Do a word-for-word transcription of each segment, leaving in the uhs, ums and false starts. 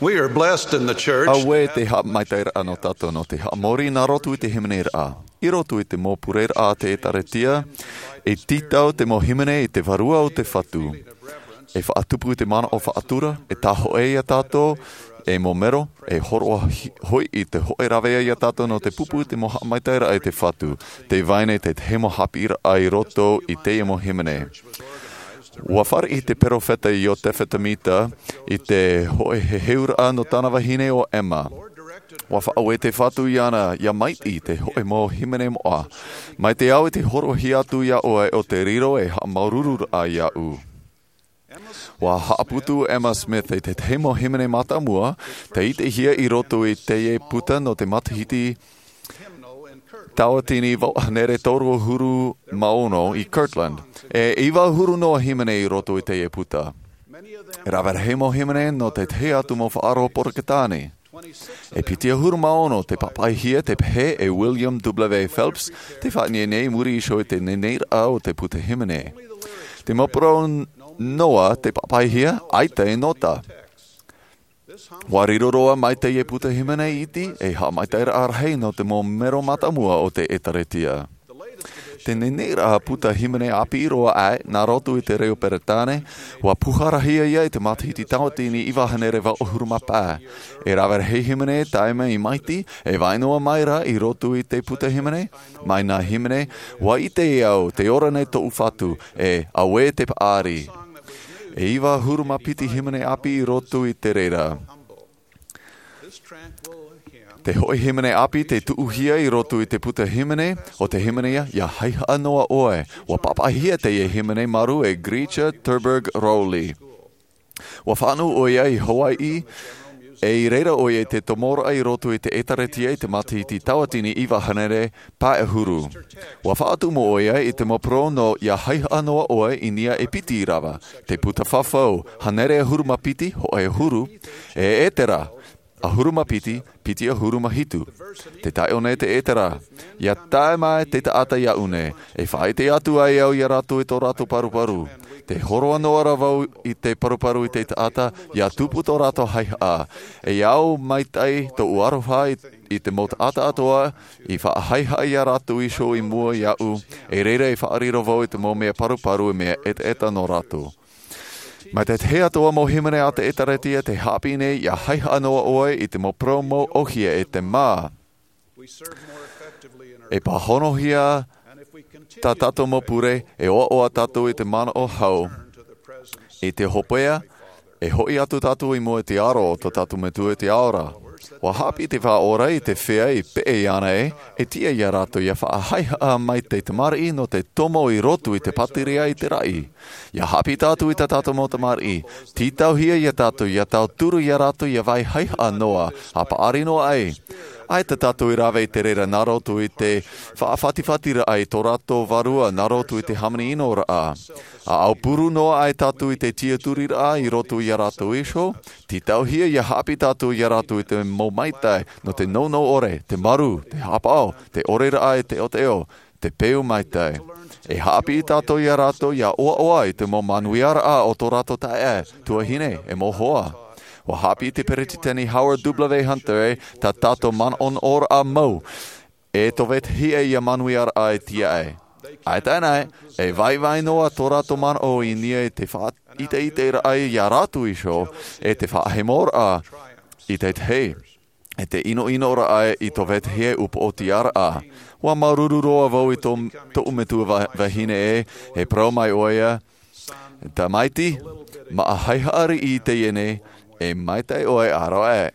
We are blessed in the church. Auē te haʻamaitaʻiraʻa nō tātou nō te haʻamori nā roto i te hīmeneraʻa. I roto i te mau pureraʻa a te ʻĒtārētia, e tītau te mau hīmene i te Vārua o te Fatu. E faʻatupu i te manaʻo faʻatura, e tāhōʻē ia tātou, e mau mero, e hōroʻa hi-, hoʻi i te hōʻē rāveʻa ia tātou nō te pupu i te mau haʻamaitaʻiraʻa i te Fatu. Tē vai nei te tahi mau haʻapiʻiraʻa i roto i teie mau hīmene. Ua fāriʻi te peropheta Iotefa Semita i te hōʻē heheuraʻa nō tāna vahine ʻo Emma. Ua faʻaue te Fatu iāna ʻia maitaʻi i te hōʻē mau hīmene moʻa. Mai te au i te hōroʻahia atu iā ʻoe o te riro e haʻamāuruururaʻa iāʻu. Ua haʻaputu Emma Smith i te tahi mau hīmene mātāmua, tei ʻitehia i roto i teie puta nō te matahiti tauatini vaʻu hānere toru ʻahuru mā ono i Kirtland. E iva ʻahuru noa hīmene i roto i teie puta. E rave rahi mau hīmene nō te tahi atu mau faʻaroʻo Porotetane. E piti ʻahuru mā ono tei pāpaʻihia tei pehē e William W. Phelps, tei faʻaineinei i muri iho i te neneiraʻa o te puta hīmene. Te mau parau noa tei pāpaʻihia, ʻaita e nota. Ua riro roa mai teie puta hīmene iti e haʻamaitaʻiraʻa rahi nō te mau mero mātāmua o te ʻĒtārētia. Te neneiraʻa puta hīmene ʻāpī roa aʻe nā roto i te reo Peretāne, ua pūharahia ia i te matahiti tauatini iva hānere vaʻu ʻahuru mā pae. E rave rahi hīmene e tae mai i maitaʻi, e vai noa mai rā i roto i te puta hīmene, mai nā hīmene, ʻua ʻite au, tē ora nei tōʻu Fatu, e auē te paʻari. E iva ʻahuru mā piti hīmene ʻāpī i roto i te reira. Te hōʻē hīmene ʻāpī tei tuʻuhia i roto i te puta hīmene, ʻo te hīmene ia, ʻIa Haihaʻa Noa ʻOe. Ua pāpaʻihia teie hīmene marū e Grietje Terburg Rowley. Ua fānaʻo ʻoia i Hawaiʻi, e i reira ʻoia i te tomoraʻa i roto i te ʻĒtārētia i te matahiti tauatini iva hānere pae ʻahuru. Ua faʻatumu ʻoia i te mau parau nō ʻIa Haihaʻa Noa ʻOe i niʻa e piti rava, te puta fafau, hānere ʻahuru mā piti, hōʻē ʻahuru, e ʻEtera, ʻahuru mā piti, piti ʻahuru mā hitu. Tē tae aʻe nei te ʻEtera, ʻIa tae mai te taʻata iāʻu nei, e faʻaʻite atu ai au iā rātou i tō rātou paruparu. Tē hōroʻa noa ra vau i te paruparu i te taʻata, ʻia tupu tō rātou haihaʻa. E au maitaʻi tōʻu aroha i, i te mau taʻata atoʻa, i faʻahaihaʻa iā rātou iho i mua iāʻu, e reira e faʻariro vau i te mau mea paruparu e mea ʻetaʻeta nō rātou. Mai te tahi atoʻa mau hīmene a te ʻĒtārētia tei haʻapiʻi nei ʻIa Haihaʻa Noa ʻOe i te mau parau mau ʻōhie e te mā. E pāhonohia tā tātou mau pure, e ʻoaʻoa tātou i te manaʻo hau. I te hopeʻa, e hoʻi atu tātou i mua i te aro o tō tātou Metua i te ao ra. ʻUa haʻapiʻi te Faʻaora i te feiā i peʻe iāna ē, e tiʻa iā rātou ʻia faʻahaihaʻa mai te tamariʻi nō te tomo i roto i te pātireia i te raʻi. ʻIa haʻapiʻi tātou i tā tātou mau tamariʻi, tītauhia iā tātou ʻia tauturu iā rātou ʻia vai haihaʻa noa, ʻa paʻari noa ai. ʻAita tātou i rave i te reira nā roto i te faʻafatifatiraʻa i tō rātou vārua nā roto i te hāmani ʻinoraʻa. ʻA aupuru noa ai tātou i te tiaturiraʻa i roto iā rātou iho, tītauhia ʻia haʻapiʻi tātou iā rātou i te mau maitaʻi, nō te nounou ʻore, te marū, te haʻapaʻo, te ʻoreraʻa e te teʻoteʻo, te peu maitaʻi. E haʻapiʻi tātou iā rātou ʻia ʻoaʻoa i te mau manuiaraʻa o tō rātou taeaʻe, tuahine, e mau hoa. ʻUa haʻapiʻi te Peresideni Howard W. Hunter ē, tā tātou manaʻonaʻoraʻa mau, e tō vetahi ʻia manuiaraʻa e tiaʻi. ʻAita anaʻe, e vaivai noa tō rātou manaʻo i niʻa i te faʻaʻiteʻiteraʻa iā rātou iho, e te faʻahemoraʻa i te tahi, e te ʻinoʻinoraʻa i tō vetahi upoʻotiaraʻa. ʻUa māuruuru roa vau i tō, tōʻu metua va-, vahine ē, e parau mai ʻoia, Tamaiti, māʻa haihaʻa riʻi teie nei, e maitaʻi ʻoe ʻāroʻa.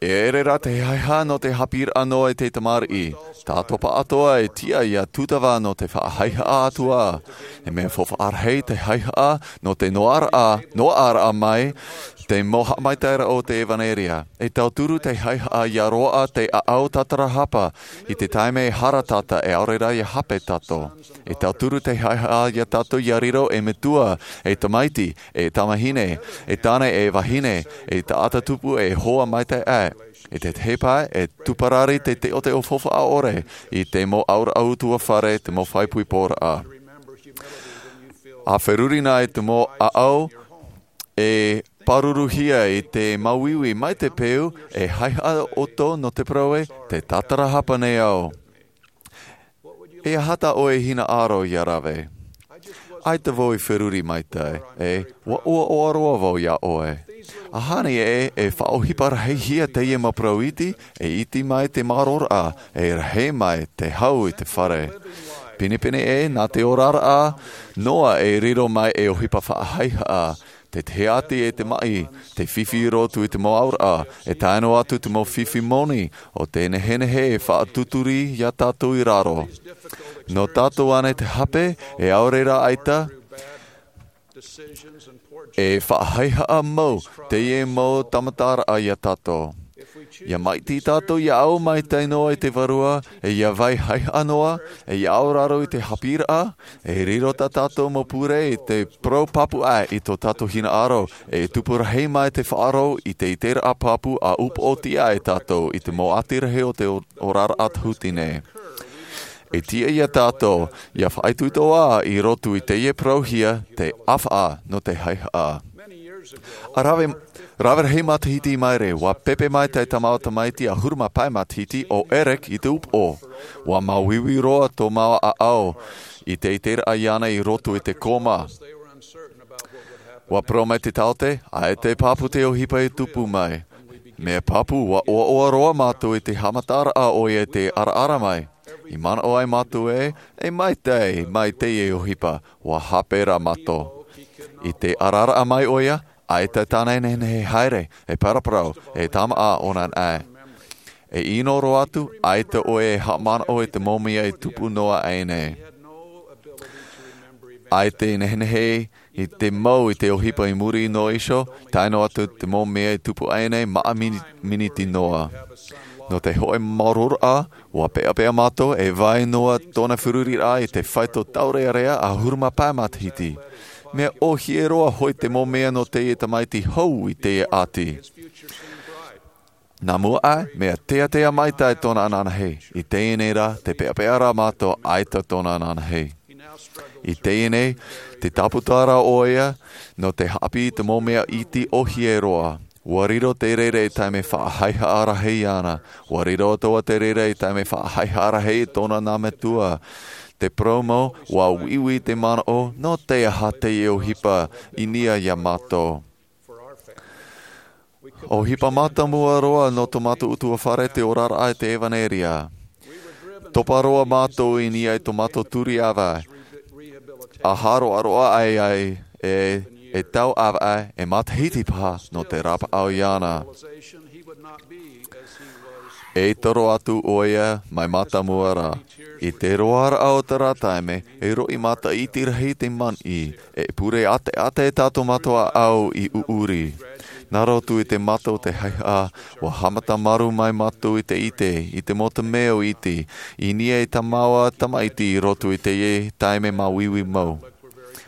E ʻere rā te haihaʻa nō te haʻapiʻiraʻa noa i te tamariʻi. Tātou pāʻatoʻa e tiʻa ʻia tūtava nō te faʻahaihaʻa atu ā. E mea faufaʻa rahi te haihaʻa nō te noaʻaraʻa, noaʻaraʻa mai te mau haʻamaitaʻiraʻa o te ʻevanelia. E tauturu te haihaʻa ʻia roaʻa te ʻāʻau tātarahapa i te taime e hara tātou e ʻaore rā ʻia hape tātou. E tauturu te haihaʻa iā tātou ʻia riro ei metua, ei tamaiti, ei tamahine, ei tāne, ei vahine, ei taʻata tupu, ei hoa maitaʻi aʻe. I te tahi pae, e tūparari te teʻoteʻo faufaʻa ʻore i te mau ʻauraʻa utuafare, te mau fāʻipoiporaʻa. ʻA feruri na i te mau ʻāʻau, e pāruruhia i te māuiui mai te peu e haihaʻa ʻoutou nō te parau ē, te tātarahapa nei au. E aha tā ʻoe e hinaʻaro ia rave? ʻAita vau i feruri maitaʻi, e ua ʻoaʻoa roa vau iā ʻoe. ʻAhani ē e faʻaʻohipa rahihia teie mau parau iti, e iti mai te māroraʻa, e rahi mai te hau i te fare. Pinepine ē nā te oraraʻa noa e riro mai e ʻohipa faʻahaihaʻa, te tehaʻati e te maʻi, te fifi i roto i te mau auraʻa, e tae noa atu te mau fifi moni o te nehenehe e faʻatuturi iā tātou i raro. Nō tātou ānei te hape, e ʻaore rā ʻaita e faʻahaihaʻa mau teie mau tāmataraʻa iā tātou. Ia maʻiti tātou ia au maitaʻi noa i te vārua, e ia vai haihaʻa noa, e ia auraro i te haʻapiʻiraʻa, e riro tā tātou mau pure i te parau pāpū ʻā i tō tātou hinaʻaro, e tupu rahi mai te faʻaroʻo i te iteraʻa pāpū a upoʻotiʻa e tātou i te mau ʻati rahi o te o- oraraʻa tahuti nei. E tiʻa iā tātou ia faʻaitoito ā i roto i teie parauhia te ʻāfaʻa nō te haihaʻa. A rave, rave rahi matahiti i maere, ua pepe mai te tamaʻi tamaiti ʻahuru mā pae matahiti o Eric i te upoʻo. Ua māuiui roa tō māua ʻāʻau i te iteraʻa iāna i roto i te koma. Ua parau mai te taote, ʻaita e pāpū te ʻohipa e tupu mai. Mea pāpū, ua ʻoaʻoa roa mātou i te haʻamataraʻa ʻoia i te araara mai. I manaʻo ai mātou ē, e maitaʻi mai teie ʻohipa, ua hape rā mātou. I te araara mai ʻoia, ʻaita tāna e nehenehe haere, e paraparau, e tāmāʻa ʻōna anaʻe. E ʻino roa atu, ʻaita ʻoia e haʻamanaʻo i te mau mea e tupu noa aʻe nei. ʻAita e nehenehe i te mau i te ʻohipa i muri noa iho, tae noa atu te mau mea e tupu aʻe nei, maʻa mini-, miniti noa. Nō te hōʻē māuruururaʻa, ua peʻapeʻa mātou e vai noa tōna feruriraʻa i te faito taurearea ʻahuru mā pae matahiti. Mea ʻōhie roa hoʻi te mau mea nō teie tamaiti hou i teie ʻati. Nā mua aʻe, mea teatea maitaʻi tōna ananahi. I teie nei rā, te peʻapeʻa rā mātou ʻaita tōna ananahi. I teie nei, te tāpū atu ra ʻoia, nō te haʻapiʻi i te mau mea iti ʻōhie roa. Ua riro te reira ei taime faʻahaihaʻa rahi iāna. Ua riro atoʻa te reira ei taime faʻahaihaʻa rahi i tōna nā metua. Te parau mau, ua uiui te manaʻo, nō te aha teie ʻohipa i niʻa iā mātou. ʻOhipa mātāmua roa nō tō mātou ʻutuāfare te oraraʻa i te ʻevaneria. Topa roa mātou i niʻa i tō mātou turi ʻāvaʻe. ʻA hāroʻaroʻa ai ai e, e tau ʻāvaʻe, e matahiti paha nō te rapaʻau iāna. E toro atu ʻoia mai mātāmua ra. I te roaraʻa o terā taime, e roʻi mataʻiti rahi te maʻi, e pure ʻāteʻate tā tō mātou ʻāʻau i ʻuʻuri. Nā roto i te mata o te haihaʻa, ua haʻamata maru mai mātou i te ʻite, i te mau mea iti, i niʻa i tā māua tamaiti i roto i teie taime māuiui mau.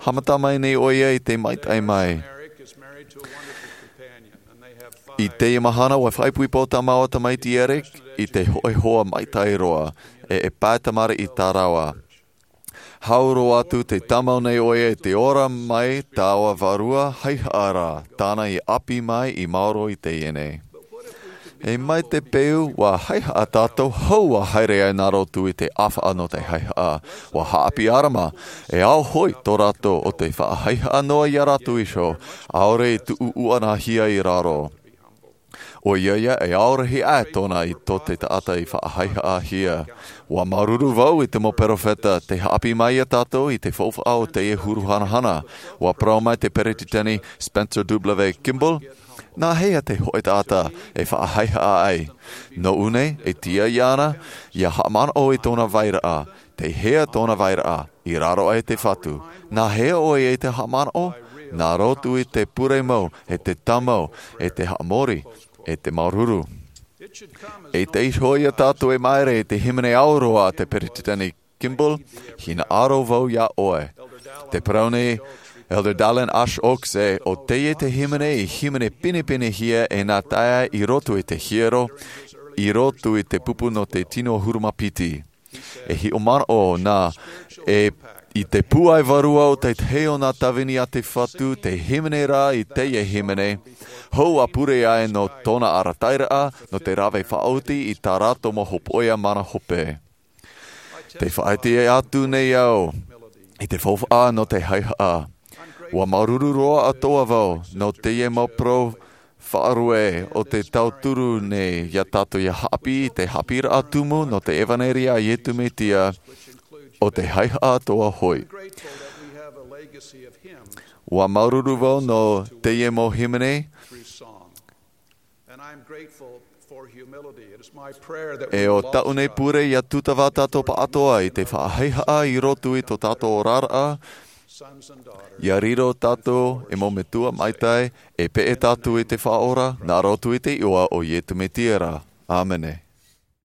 Haʻamata mai nei ʻoia i te maitaʻi mai. I teie mahana, ua faʻaipoipo tā māua tamaiti Eric i te hōʻē hoa maitaʻi roa, e, e pae tamariʻi tā rāua. Hau roa atu te tāmau nei ʻoia i te ora mai taua vārua haihaʻa ra, tāna i ʻāpī mai i maoro i teie nei. E mai te peu ua haihaʻa tātou, hou ua haere ai nā roto i te ʻāfaʻa nō te haihaʻa. Ua haʻapiʻi ʻārama, e ao hoʻi tō rātou o te faʻahaihaʻa noa iā rātou iho, ʻaore i tuʻu uanahia i raro. ʻOia ia, e ao rahi aʻe tōna i tō te taʻata i faʻahaihaʻahia. Ua māuruuru vau i te mau perofeta, te haʻapiʻi mai iā tātou i te faufaʻa o teie huru hanahana. Ua parau mai te peretiteni Spencer W. Kimball, nā hea te hōʻē taʻata e faʻahaihaʻa ai? Nō ʻō nei, e tiʻa iāna, ia haʻamanaʻo i tōna vairaʻa, te hea tōna vairaʻa, i raro aʻe te Fatu. Nā hea ʻoe i te haʻamanaʻo? Nā roto i te pure mau, e te tāmau, e te haʻamori, e te māuruuru. E te iho ia tātou e maere i te hīmene aroha a te peretiteni Kimball, hinaʻaro vau iā ʻoe. Te parau nei Elder Dallin H. Oaks ē, ʻo teie te hīmene i hīmene pinepinehia e nā taeaʻe i roto i te hiero, i roto i te pupu nō te tino ʻahuru mā piti. E hiʻo manaʻo nā, e I te pūai vārua o te tahi o nā tāvini a te Fatu, te hīmene rā i teie hīmene, hou a pure ai nō tōna arataʻiraʻa, nō te rave faʻaoti i tā rātou mau hopoʻia mana hope. Te faʻaite atu nei au i te faufaʻa nō te haihaʻa. Ua māuruuru roa atoʻa vau nō teie mau parau faʻarue o te tauturu nei iā tātou ia haʻapiʻi i te haʻapiʻiraʻa tumu nō te ʻevaneria a Iesu Mesia, o te haihaʻa atoʻa hoʻi. Ua māuruuru vau nō teie mau hīmene. E o tāʻu nei pure ia tūtava tātou pāʻatoʻa i te faʻahaihaʻa i roto i tō tātou oraraʻa, ia riro tātou ei mau metua maitaʻi, e peʻe tātou i te Faʻaora, nā roto i te iʻoa o Iesu Mesia. ʻĀmene.